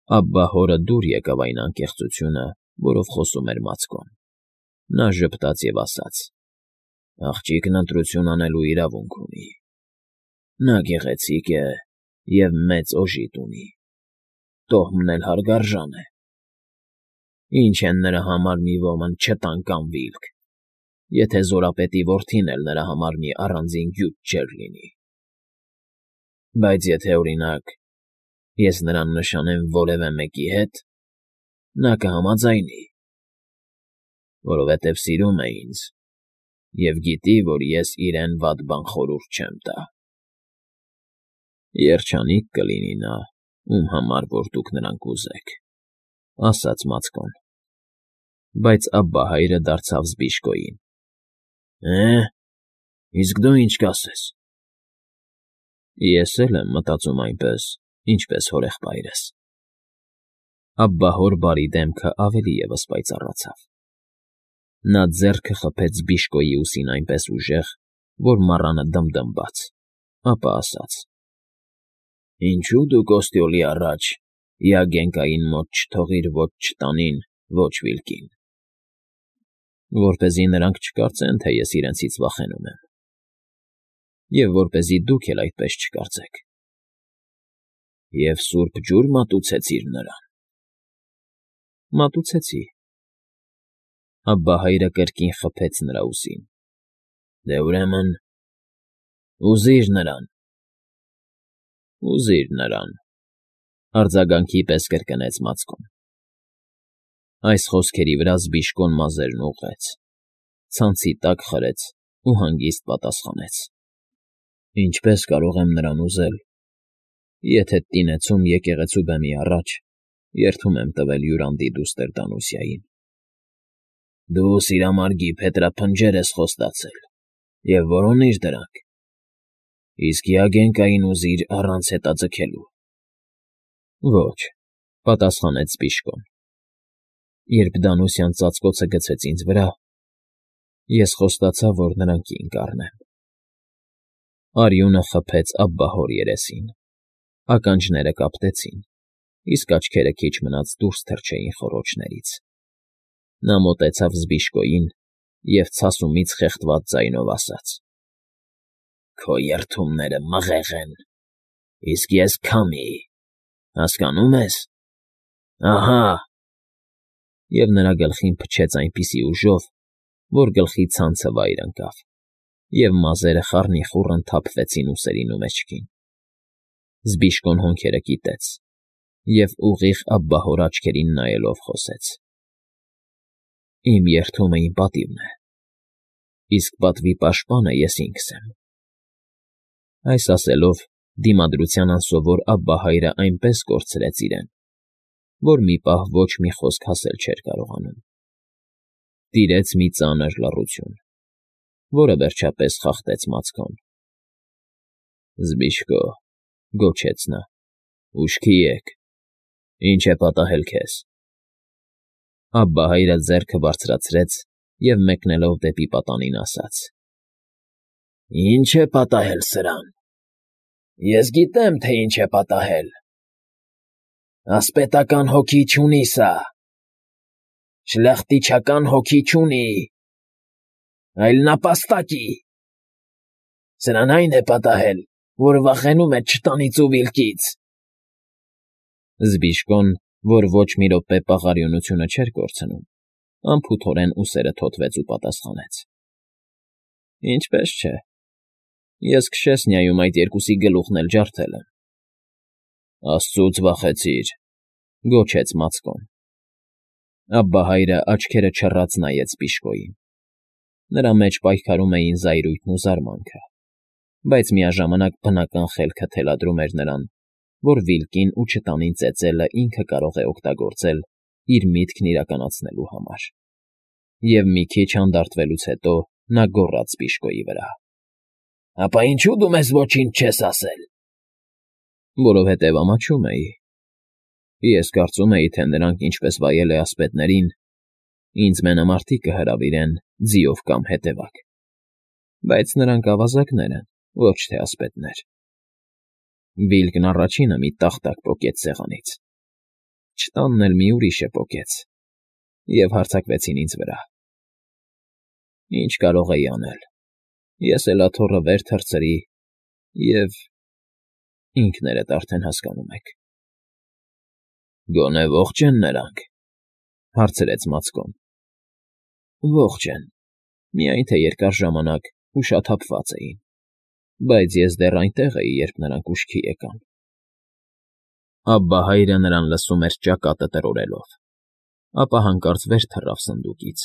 Աբբահորը դուր եկավ այն անկեղծությունը, որով խոսում էր Մացկոն. նա ժպտաց և ասաց. «Աղջիկն ընտրություն անելու իրավունք ունի. նա գեղեցիկ է և մեծ օժիտ ունի, տոհմն էլ հարգարժան է. ինչ են նրա համար մի ոմն չտան կամ վիլք, եթե զորապետի որդին էլ նրա համար մի առանձին գյուտ չէր լինի։ Բայց եթե, օրինակ, ես նրան նշանեմ որևէ մեկի հետ, նա կհամաձայնի, որովհետև սիրում է ինձ և գիտի, որ ես իրեն վատ բան խորհուրդ չեմ տա։ Երջանիկ կլինի նա, ում համար որ դուք նրան կուզեք», ֊ ասաց Մացկոն։ Բայց Աբբահայրը դարձավ Զբիշկոյին. «Էէ, իսկ դու ինչ կասես»։ Ես էլ եմ մտածում այնպես, ինչպես հորեղբայրս։ Աբբահոր բարի դեմքը ավելի ևս պայծառացավ։ Նա ձեռքը խփեց Զբիշկոյի ուսին այնպես ուժեղ, որ մառանը դմդմաց, ապա ասաց. «Ինչո՞ւ դու կոստյոլի առաջ Իագենկային մոտ չթողիր ոչ չտանին, ոչ վիլկին»։ Որպեսզի նրանք չկարծեն, թե ես իրենցից վախենում եմ, և որպեսզի դուք էլ այդպես չկարծեք։ Եվ սուրբ ջուր մատուցեցի՞ր նրան։ Մատուցեցի։ Աբբահայրը կրկին խփեց նրա ուսին։ Դե ուրեմն, ուզի՛ր նրան։ Ուզի՛ր նրան, արձագանքի պես կրկնեց Մացկոն։ Այս խոսքերի վրա Զբիշկոն մազերն ուղղեց, ցանցի տակ խրեց ու հանգիստ պատասխանեց. «Ինչպե՞ս կարող եմ նրան ուզել, եթե տինեցում եկեղեցու բեմի առաջ երդում եմ տվել Յուրանդի դուստր Դանուսիային։ Դու սիրամարգի փետրափնջեր ես խոստացել և որոնիր դրանք, իսկ Իագենկային ուզիր առանց հետաձգելու»։ Ոչ, պատասխանեց Զբիշկոն։ Երբ Դանուսյան ծածկոցը գցեց ինձ վրա, ես խոստացա, որ նրան կին կառնեմ։ Արյունը խփեց Աբբահոր երեսին, ականջները կապտեցին, իսկ աչքերը քիչ մնաց դուրս թռչեին խոռոչներից։ Նա մոտեցավ Զբիշկոյին և ցասումից խեղդված ձայնով ասաց. «Քո երդումները մղեղ են, իսկ ես՝ քամի, հասկանո՞ւմ ես։ Ահա…» Եվ նրա գլխին փչեց այնպիսի ուժով, որ գլխի ցանցը վայր ընկավ, և մազերը խառնիխուռն թափվեցին ուսերին ու մեջքին։ Զբիշկոն հոնքերը կիտեց և ուղիղ Աբբահոր աչքերին նայելով խոսեց. «Իմ երդումը իմ պատիվն է, իսկ պատվի պաշտպանը ես ինքս եմ»։ Այս ասելով դիմադրության անսովոր Աբբահայրը այնպես կորցրեց իրեն, որ մի պահ ոչ մի խոսք ասել չէր կարողանում։ Տիրեց մի ծանր լռություն, որը վերջապես խախտեց Մացկոն։ «Զբիշկո», գոչեց նա, «ուշքի եկ, ինչ է պատահել քեզ»։ Աբբահայրը ձեռքը բարձրացրեց և մեկնելով դեպի պատանին ասաց. «Ի՞նչ է պատահել սրան։ Ես գիտեմ, թե ինչ է պատահել։ Ասպետական հոգի չունի սա, շլախտիչական հոգի չունի, այլ նապաստակի։ Սրան այն է պատահել, որ վախենում է չտանից ու վիլկից»։ Զբիշկոն, որ ոչ մի րոպե պաղարիունությունը չէր կորցնում, անփութորեն ուսերը թոթվեց ու պատասխանեց. «Ինչպես չէ, ես քշեսնիայում այդ երկուսի գլուխն էլ ջարդել եմ»։ «Աստծուց վախեցիր», ֊ գոչեց Մացկոն։ Աբբահայրը աչքերը չռած նայեց Զբիշկոյին։ Նրա մեջ պայքարում էին զայրույթն ու զարմանքը, բայց միաժամանակ բնական խելքը թելադրում էր նրան, որ վիլկին ու չտանին ծեծելը ինքը կարող է օգտագործել իր միտքն իրականացնելու համար։ Եվ մի քիչ հանդարտվելուց հետո նա գոռաց Զբիշկոյի վրա. «Ապա ինչո՞ւ դու մեզ ոչինչ չես ասել»։ «Որովհետև ամաչում էի։ Ես կարծում էի, թե նրանք, ինչպես վայել է ասպետներին, ինձ մենամարտիկ կհրավիրեն ձիով կամ հետևակ, բայց նրանք ավազակներ են, ոչ թե ասպետներ»։ Վիլկն առաջինը մի տախտակ պոկեց սեղանից։ չտանն էլ մի ուրիշը պոկեց, և հարձակվեցին ինձ վրա։ Ինչ կարող էի անել, ես էլ աթոռը վեր թռցրի և… ինքներդ արդեն հասկանում եք։ Գոնե ողջ են նրանք, հարցրեց Մացկոն։ Ողջ են, միայն թե երկար ժամանակ ուշաթափված էին, բայց ես դեռ այնտեղ էի, երբ նրանք ուշքի եկան։ Աբբահայրը նրան լսում էր ճակատը տրորելով, ապա հանկարծ վեր թռավ սնդուկից,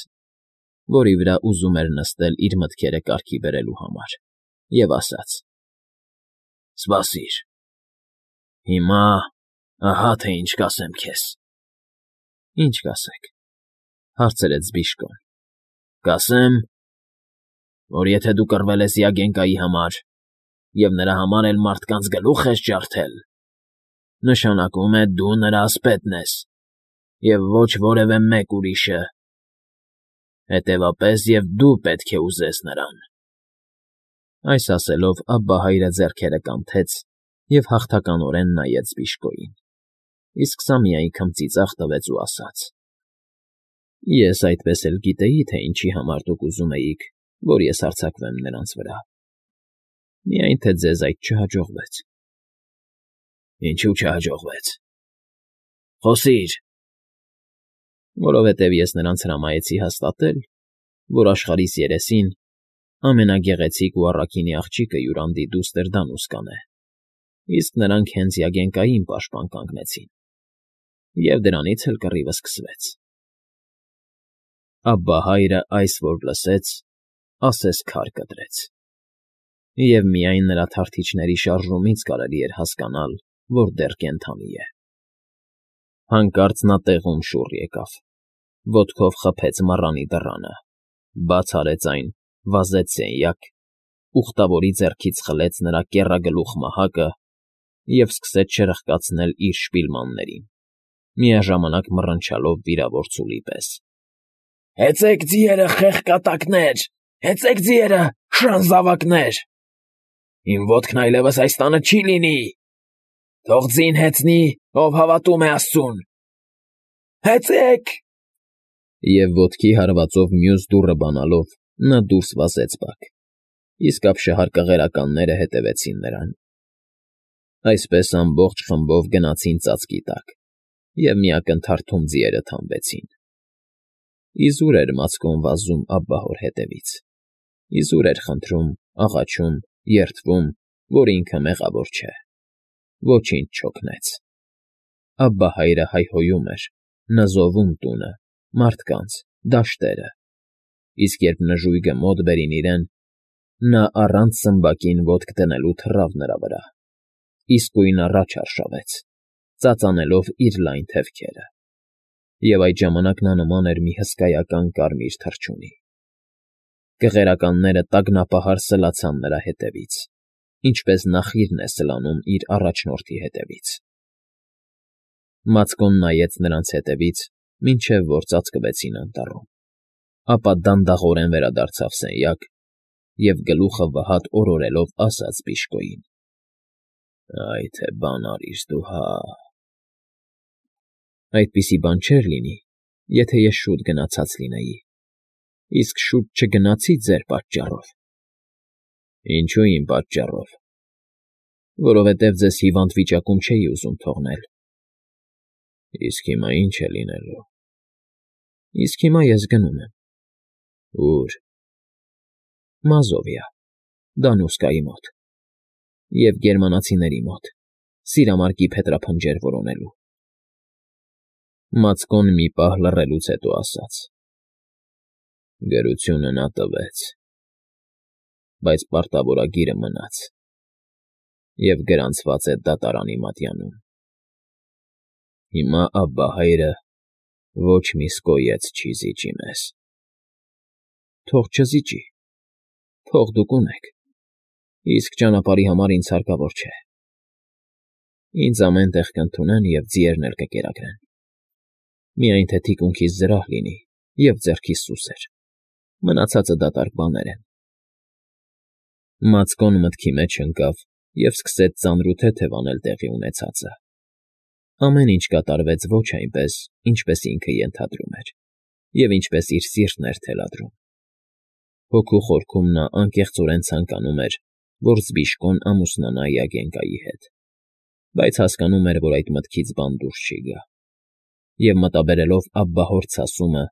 որի վրա ուզում էր նստել իր մտքերը կարգի բերելու համար, և ասաց. Սպասիր, հիմա ահա թե ինչ կասեմ քեզ։ Ինչ կասեք, հարցրեց Բիժկոն։ Կասեմ, որ եթե դու կռվել ես Յագենկայի համար և նրա համար էլ մարդկանց գլուխ ես ջարդել, նշանակում է դու նրա ասպետն ես և ոչ որևէ մեկ ուրիշը, հետևապես և դու պետք է ուզես նրան։ Այս ասելով Աբբահայրը ձեռքերը կանթեց և հաղթականորեն նայեց Բիժկոյին, իսկ սա միայն քմծիծաղ տվեց ու ասաց. Ես այդպես էլ գիտեի, թե ինչի համար դուք ուզում էիք, որ ես հարձակվեմ նրանց վրա, միայն թե ձեզ այդ չհաջողվեց։ Ինչու չհաջողվեց։ Խոսիր։ Որովհետև ես նրանց հրամայեցի հաստատել, որ աշխարհիս երեսին ամենագեղեցիկ ու առաքինի աղջիկը յուրանդի դուստր Դանուսկան է, իսկ նրանք հենց Յագենկային պաշտպան կանգնեցին, և դրանից էլ կռիվը սկսվեց։ Աբբահայրը այս որ լսեց, ասես քար կտրեց, և միայն նրա թարթիչների շարժումից կարելի էր հասկանալ, որ դեռ կենդանի է։ Հանկարծ նա տեղում շուռ եկավ, ոտքով խփեց մառանի դռանը, բաց արեց այն, վազեց սենյակ, ուխտավորի ձեռքից խլեց նրա կեռագլուխ մահակը և սկսեց շրխկացնել իր շպիլմաններին, միաժամանակ մռնչալով վիրավոր ցուլի պես. Հեծեք ձիերը, խեղկատակներ, հեծեք ձիերը, շան զավակներ… Իմ ոտքն այլևս այս տանը չի լինի… Թող ձին հեծնի, ով հավատում է աստծուն… Հեծեք… Եվ ոտքի հարվածով մյուս դուռը բանալով նա դուրս վազեց բակ, իսկ ապշահար կղերականները հետևեցին նրան։ Այսպես ամբողջ խմբով գնացին ծածկի տակ, և մի ակնթարթում ձիերը թամբեցին։ Իզուր էր Մացկոն վազում աբբահոր հետևից, իզուր էր խնդրում, աղաչում, երդվում, որ ինքը մեղավոր չէ, ոչինչ չօգնեց։ Աբբահայրը հայհոյում էր, նզովում տունը, մարդկանց, դաշտերը, իսկ երբ նժույգը մոտ բերին իրեն, նա առանց սմբակին ոտք դնելու թռավ նրա վրա, իսկույն առաջ արշավեց, ծածանելով իր լայն թևքերը, և այդ ժամանակ նա նման էր մի հսկայական կարմիր թռչունի։ Կղերականները տագնապահար սլացան նրա հետևից, ինչպես նախիրն է սլանում իր առաջնորդի հետևից։ Մացկոն նայեց նրանց հետևից, մինչև որ ծածկվեցին անտառում, ապա դանդաղորեն վերադարձավ սենյակ և գլուխը վհատ օրորելով ասաց Բիժկոյին. Այ թե բան արիր դու, հա… Այդպիսի բան չէր լինի, եթե ես շուտ գնացած լինեի, իսկ շուտ չգնացի ձեր պատճառով։ Ինչո՞ւ իմ պատճառով։ Որովհետև ձեզ հիվանդ վիճակում չէի ուզում թողնել։ Իսկ հիմա ի՞նչ է լինելու։ Իսկ հիմա ես գնում եմ։ Ո՞ւր։ Մազովիա, Դանուսկայի մոտ, և գերմանացիների մոտ, սիրամարգի փետրափնջեր որոնելու։ Մացկոն մի պահ լռելուց հետո ասաց. Գրությունը նա տվեց, բայց պարտավորագիրը մնաց և գրանցված է դատարանի մատյանում։ Հիմա Աբբահայրը ոչ մի սկոյեց չի զիջի մեզ։ Թող չզիջի, թող դուք ունեք, իսկ ճանապարհի համար ինձ հարկավոր չէ։ Ինձ ամեն տեղ կընդունեն և ձիերն էլ կկերակրեն։ Միայն թե թիկունքիս զրահ լինի և ձեռքիս սուսեր, մնացածը դատարկ բաներ են։ Մացկոն մտքի մեջ ընկավ և սկսեց ծանրութեթև անել տեղի ունեցածը։ Ամեն ինչ կատարվեց ոչ այնպես, ինչպես ինքը ենթադրում էր, և ինչպես իր սիրտն էր թելադրում։ Հոգու խորքում նա անկեղծորեն ցանկանում էր, որ Զբիշկոն ամուսնանա Յագենկայի հետ, բայց հասկանում էր, որ այդ մտքից բան դուրս չի գա, և մտաբերելով աբբահոր ցասումը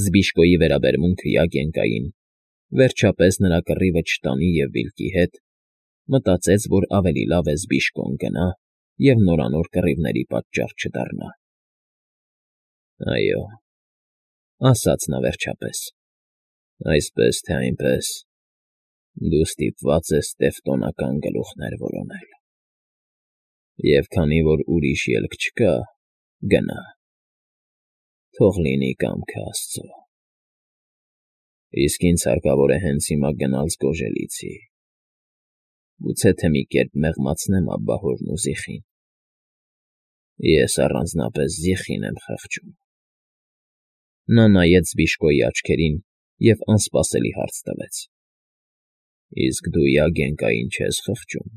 Զբիշկոյի վերաբերմունքը Յագենկային, վերջապես նրա կռիվը չտանի և վիլկի հետ, մտածեց, որ ավելի լավ է Զբիշկոն գնա և նորանոր կռիվների պատճառ չդառնա։ Այո, ասաց նա վերջապես, այսպես թե այնպես, դու ստիպված ես տևտոնական գլուխներ որոնել, և քանի որ ուրիշ ելք չկա, գնա, թող լինի կամքը Աստծո։ Իսկ ինձ հարկավոր է հենց հիմա գնալ Զգոժելիցի, գուցե թե մի կերպ մեղմացնեմ աբբահորն ու Զիխին։ Ես առանձնապես Զիխին եմ խղճում։ Նա նայեց Զբիշկոյի աչքերին և անսպասելի հարց տվեց. Իսկ դու Յագենկային չե՞ս խղճում։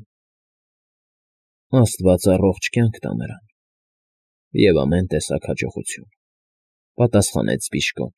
Աստված առողջ կյանք տա նրան և ամեն տեսակ հաջողություն, պատասխանեց Զբիշկոն։